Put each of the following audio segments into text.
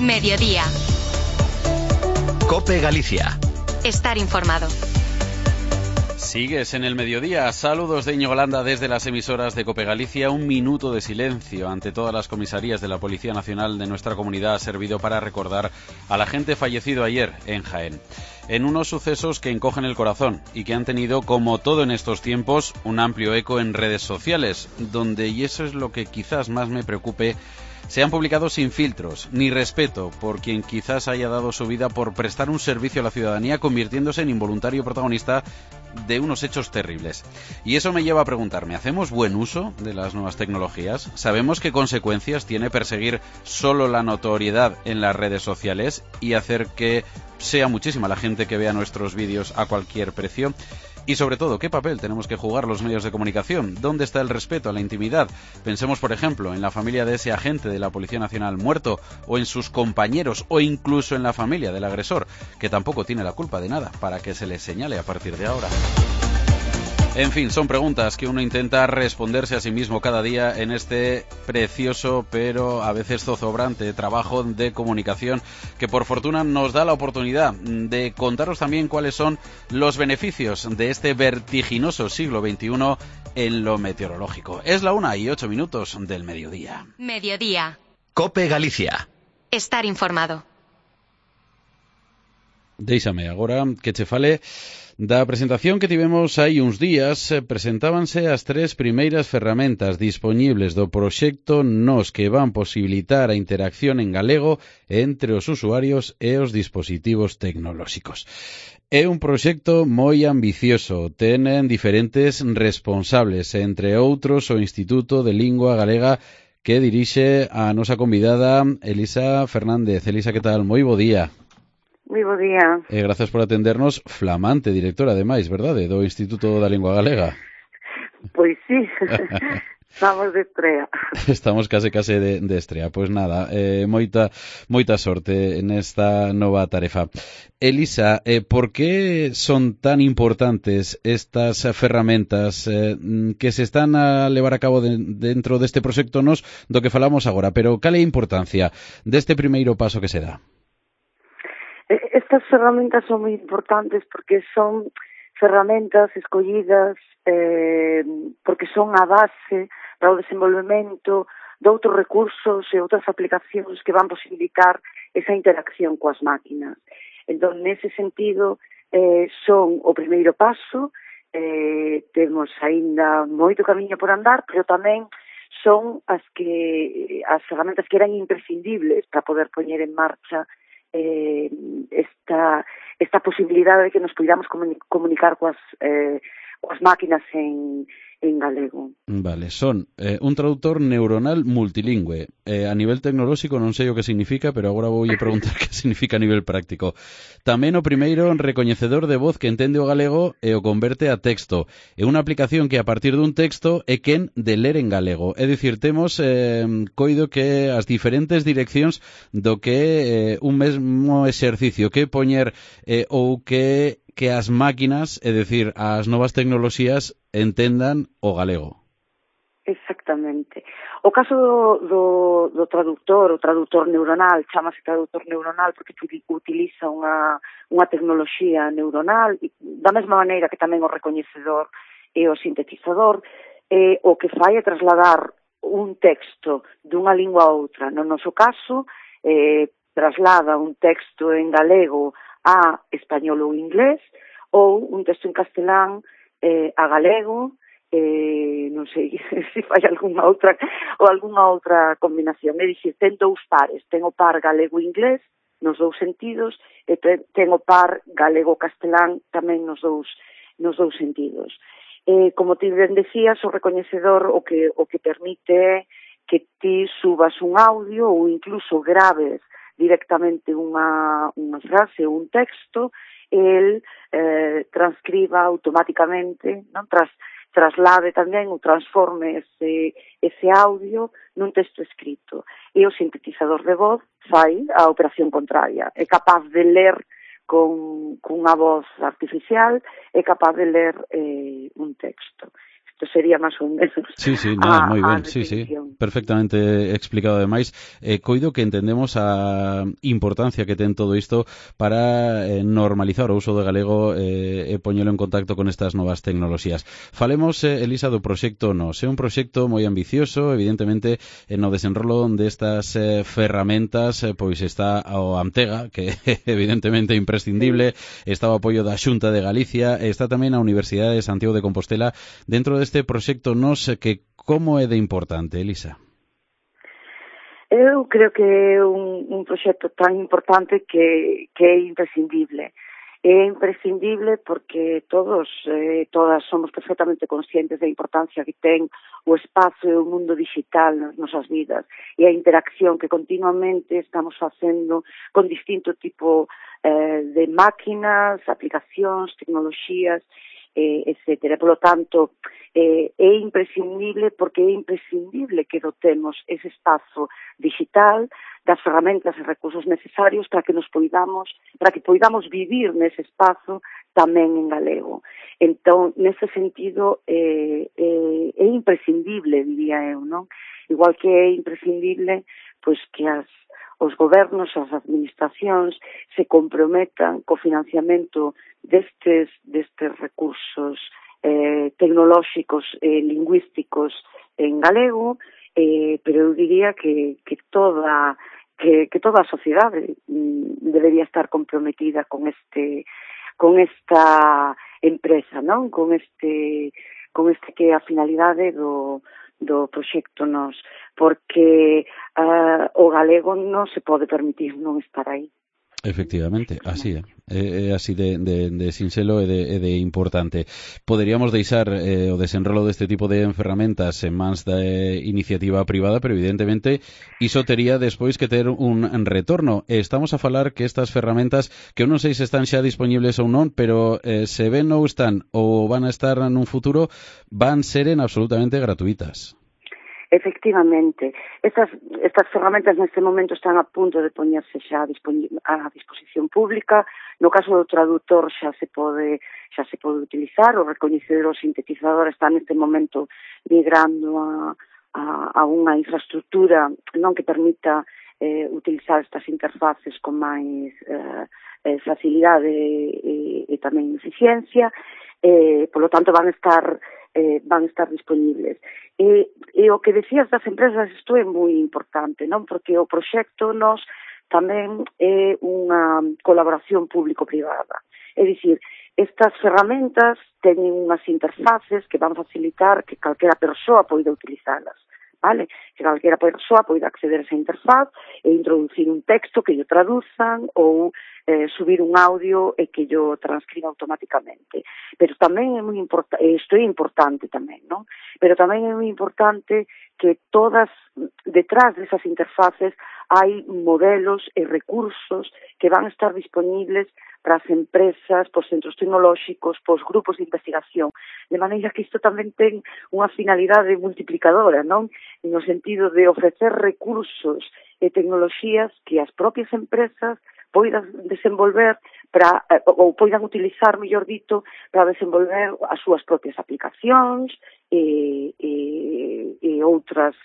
Mediodía. COPE Galicia. Estar informado. Sigues en el mediodía. Saludos de Íñigo Landa desde las emisoras de COPE Galicia. Un minuto de silencio ante todas las comisarías de la Policía Nacional de nuestra comunidad ha servido para recordar a la gente fallecido ayer en Jaén. En unos sucesos que encogen el corazón y que han tenido, como todo en estos tiempos, un amplio eco en redes sociales, donde, y eso es lo que quizás más me preocupe, se han publicado sin filtros, ni respeto por quien quizás haya dado su vida por prestar un servicio a la ciudadanía, convirtiéndose en involuntario protagonista de unos hechos terribles. Y eso me lleva a preguntarme, ¿hacemos buen uso de las nuevas tecnologías? ¿Sabemos qué consecuencias tiene perseguir solo la notoriedad en las redes sociales y hacer que sea muchísima la gente que vea nuestros vídeos a cualquier precio? Y sobre todo, ¿qué papel tenemos que jugar los medios de comunicación? ¿Dónde está el respeto a la intimidad? Pensemos, por ejemplo, en la familia de ese agente de la Policía Nacional muerto, o en sus compañeros, o incluso en la familia del agresor, que tampoco tiene la culpa de nada, para que se le señale a partir de ahora. En fin, son preguntas que uno intenta responderse a sí mismo cada día en este precioso, pero a veces zozobrante trabajo de comunicación que por fortuna nos da la oportunidad de contaros también cuáles son los beneficios de este vertiginoso siglo XXI en lo meteorológico. Es la 1:08 del mediodía. Mediodía. COPE Galicia. Estar informado. Déixame agora que che fale da presentación que tivemos hai uns días. Presentábanse as 3 primeiras ferramentas dispoñibles do proxecto NOS, que van posibilitar a interacción en galego entre os usuarios e os dispositivos tecnolóxicos. É un proxecto moi ambicioso, tenen diferentes responsables, entre outros o Instituto de Lingua Galega, que dirixe a nosa convidada Elisa Fernández. Elisa, que tal? Moi bo día. Moi bo día. Gracias por atendernos, flamante directora, ademais, verdade, do Instituto da Lingua Galega. Pois sí, estamos de estrea. Estamos case de estrea. Pois nada, moita sorte nesta nova tarefa. Elisa, por que son tan importantes estas ferramentas que se están a levar a cabo dentro deste proxecto NOS do que falamos agora? Pero cal é a importancia deste primeiro paso que se dá? Estas ferramentas son moi importantes porque son ferramentas escollidas porque son a base para o desenvolvemento de outros recursos e outras aplicacións que van posibilitar esa interacción coas máquinas. Entón, nese sentido, son o primeiro paso, temos aínda moito camiño por andar, pero tamén son as ferramentas que eran imprescindibles para poder poñer en marcha esta posibilidade de que nos podamos comunicar coas máquinas en galego. Vale, son un traductor neuronal multilingüe. A nivel tecnolóxico non sei o que significa, pero agora vou preguntar que significa a nivel práctico. Tamén o primeiro recoñecedor de voz que entende o galego e o converte a texto. É unha aplicación que a partir dun texto é quen de ler en galego. É dicir, temos coido que as diferentes direccións do que un mesmo exercicio que poñer ou que as máquinas, é dicir, as novas tecnoloxías entendan o galego. Exactamente. O caso do traductor, o traductor neuronal, chamase traductor neuronal porque utiliza unha tecnoloxía neuronal, da mesma maneira que tamén o recoñecedor e o sintetizador, o que fai é trasladar un texto dunha lingua a outra. No noso caso, traslada un texto en galego a español ou inglés, ou un texto en castelán a galego, non sei se fai algunha outra combinación. É dicir, ten dous pares, ten o par galego-inglés nos dous sentidos e ten o par galego-castelán tamén nos dous sentidos. Como ti ben decías, o recoñecedor o que permite que ti subas un audio ou incluso graves directamente unha frase ou un texto, el transcriba automáticamente, non? Traslade tamén ou transforme ese audio nun texto escrito. E o sintetizador de voz fai a operación contraria. É capaz de ler cunha voz artificial, é capaz de ler un texto. Entón sería máis ou menos moi ben, definición. Perfectamente explicado ademais. Coido que entendemos a importancia que ten todo isto para normalizar o uso do galego e poñelo en contacto con estas novas tecnoloxías. Falemos, Elisa, do proxecto NOS. É un proxecto moi ambicioso, evidentemente, no desenrolo destas ferramentas, pois está o Amtega, que evidentemente é imprescindible, está o apoio da Xunta de Galicia, está tamén a Universidade de Santiago de Compostela dentro deste proxecto NOS, que como é de importante, Elisa? Eu creo que é un proxecto tan importante que é imprescindible. É imprescindible porque todas somos perfectamente conscientes da importancia que ten o espazo e o mundo digital nas nosas vidas e a interacción que continuamente estamos facendo con distinto tipo de máquinas, aplicacións, tecnoloxías, etcétera. Por lo tanto, é imprescindible porque é imprescindible que dotemos ese espazo digital das ferramentas e recursos necesarios para que poidamos vivir nese espazo tamén en galego. Entón, nese sentido, é imprescindible, diría eu, non? Igual que é imprescindible pois que os gobernos, as administracións se comprometan co financiamento destes recursos tecnolóxicos e lingüísticos en galego, pero eu diría que toda a sociedade debería estar comprometida con esta empresa, non? Con este que é a finalidade do proxecto NOS, porque o galego non se pode permitir non estar aí. Efectivamente, así é así de sinxelo e de importante. Poderíamos deixar o desenrolo deste tipo de ferramentas en mans da iniciativa privada, pero evidentemente iso tería despois que ter un retorno. Estamos a falar que estas ferramentas, que eu non sei se están xa disponibles ou non, pero se ben ou están ou van a estar nun futuro, van seren absolutamente gratuitas. Efectivamente, estas ferramentas neste momento están a punto de poñerse xa a disposición pública. No caso do traductor xa se pode utilizar. O recoñecedor sintetizador está neste momento migrando a unha infraestructura non que permita utilizar estas interfaces con máis facilidade e tamén eficiencia. Por lo tanto van estar disponibles. E o que decías das empresas, isto é moi importante, non? Porque o proxecto NOS tamén é unha colaboración público-privada. É dicir, estas ferramentas teñen unhas interfaces que van facilitar que calquera persoa poida utilizalas, vale? Que calquera persoa poida acceder a esa interfaz e introducir un texto que lle traduzan ou subir un audio e que yo transcriba automáticamente. Pero tamén é moi importante, isto é importante tamén, non? Pero tamén é moi importante que detrás desas interfaces hai modelos e recursos que van a estar disponibles para as empresas, pos centros tecnolóxicos, pos grupos de investigación, de maneira que isto tamén ten unha finalidade multiplicadora, non? No sentido de ofrecer recursos e tecnoloxías que as propias empresas poidan desenvolver ou poidan utilizar, mellor dito, para desenvolver as súas propias aplicacións e outras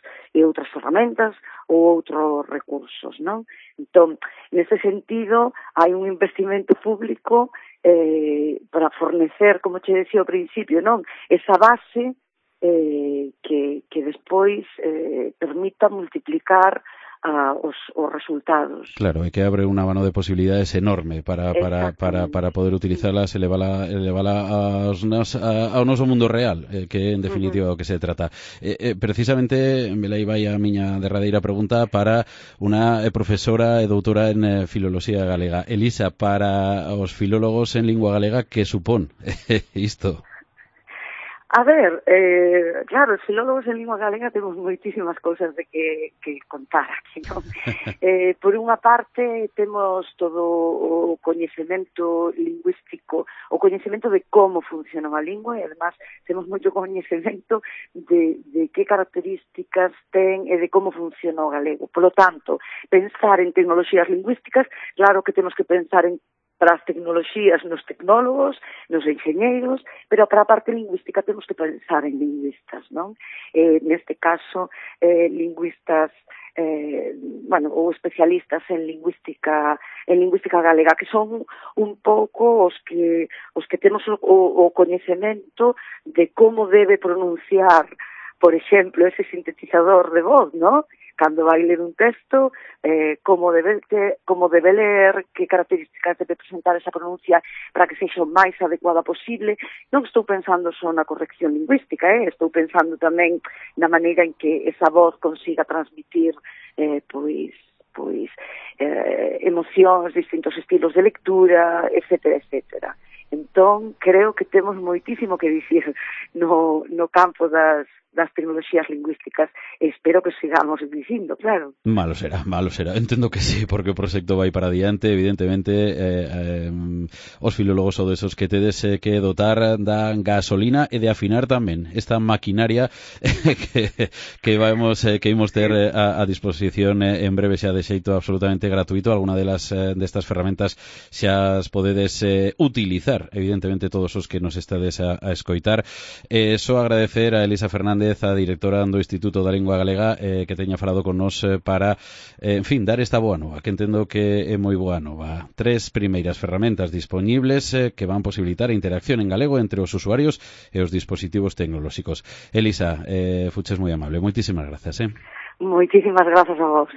ferramentas ou outros recursos, non? Entón, nese sentido, hai un investimento público para fornecer, como che decía ao principio, non? Esa base que despois permita multiplicar os resultados. Claro, e que abre un abano de posibilidades enorme para poder utilizarlas e levala ao noso mundo real, que en definitiva o que se trata. Precisamente, aí vai a miña derradeira pregunta para unha profesora e doutora en filoloxía galega. Elisa, para os filólogos en lingua galega, que supón isto? A ver, claro, os filólogos en lingua galega temos moitísimas cousas de que contar aquí, non? Por unha parte, temos todo o coñecemento lingüístico, o coñecemento de como funciona a lingua e, además, temos moito coñecemento de que características ten e de como funciona o galego. Por lo tanto, pensar en tecnoloxías lingüísticas, claro que temos que pensar en para as tecnoloxías nos tecnólogos, nos enxeñeiros, pero para a parte lingüística temos que pensar en lingüistas, non? Neste caso, lingüistas ou especialistas en lingüística galega, que son un pouco os que temos o coñecemento de como debe pronunciar, por exemplo, ese sintetizador de voz, ¿no? Cando vai ler un texto, como debe ler, que características debe presentar esa pronuncia para que sexa o máis adecuada posible. Non estou pensando só na corrección lingüística, estou pensando tamén na maneira en que esa voz consiga transmitir emocións, distintos estilos de lectura, etcétera, etcétera. Entón, creo que temos moitísimo que dicir no campo das tecnoloxías lingüísticas, e espero que sigamos dicindo, claro. Malo será. Entendo que sí, porque o proxecto vai para adiante, evidentemente, os filólogos ou desos que tedes que dotar da gasolina e de afinar tamén esta maquinaria que imos ter a disposición en breve, xa de xeito absolutamente gratuito. Alguna destas ferramentas xa as podedes utilizar, evidentemente, todos os que nos estades a escoitar. Só agradecer a Elisa Fernández, a directora do Instituto da Lingua Galega, que teña falado con nos para, dar esta boa nova, que entendo que é moi boa nova. 3 primeiras ferramentas dispoñibles que van posibilitar a interacción en galego entre os usuarios e os dispositivos tecnolóxicos. Elisa, fuches moi amable. Moitísimas grazas. Moitísimas grazas a vos.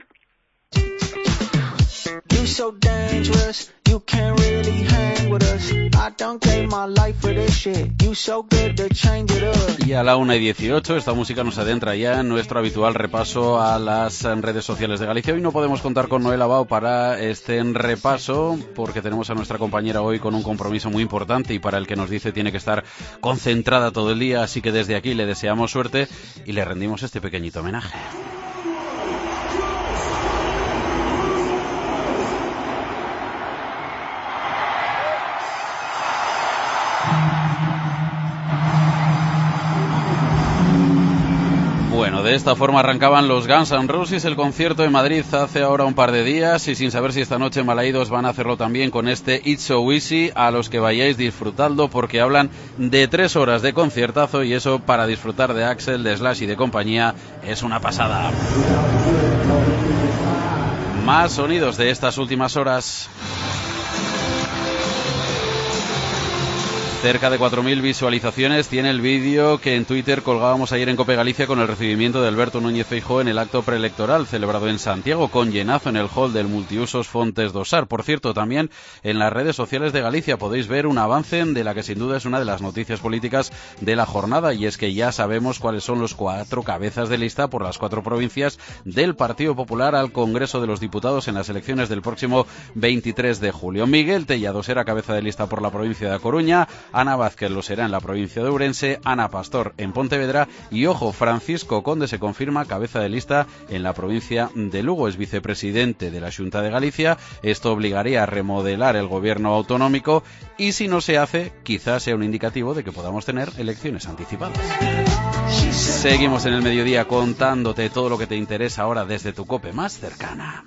You so dangerous, you can't really hang with us. I don't gave my life for this shit. You so good to change it up. Y a la 1:18 esta música nos adentra ya en nuestro habitual repaso a las redes sociales de Galicia. Hoy no podemos contar con Noel Abao para este repaso porque tenemos a nuestra compañera hoy con un compromiso muy importante y para el que nos dice tiene que estar concentrada todo el día, así que desde aquí le deseamos suerte y le rendimos este pequeñito homenaje. Bueno, de esta forma arrancaban los Guns N' Roses el concierto en Madrid hace ahora un par de días y sin saber si esta noche en Balaídos van a hacerlo también con este It's So Easy. A los que vayáis, disfrutadlo porque hablan de 3 horas de conciertazo y eso para disfrutar de Axel, de Slash y de compañía es una pasada. Más sonidos de estas últimas horas. Cerca de 4.000 visualizaciones tiene el vídeo que en Twitter colgábamos ayer en COPE Galicia con el recibimiento de Alberto Núñez Feijóo en el acto preelectoral celebrado en Santiago, con llenazo en el hall del multiusos Fontes do Sar. Por cierto, también en las redes sociales de Galicia podéis ver un avance de la que sin duda es una de las noticias políticas de la jornada, y es que ya sabemos cuáles son los 4 cabezas de lista por las 4 provincias del Partido Popular al Congreso de los Diputados en las elecciones del próximo 23 de julio. Miguel Tellado será cabeza de lista por la provincia de A Coruña, Ana Vázquez lo será en la provincia de Ourense, Ana Pastor en Pontevedra y, ojo, Francisco Conde se confirma cabeza de lista en la provincia de Lugo. Es vicepresidente de la Xunta de Galicia. Esto obligaría a remodelar el gobierno autonómico y si no se hace, quizás sea un indicativo de que podamos tener elecciones anticipadas. Seguimos en el mediodía contándote todo lo que te interesa ahora desde tu COPE más cercana.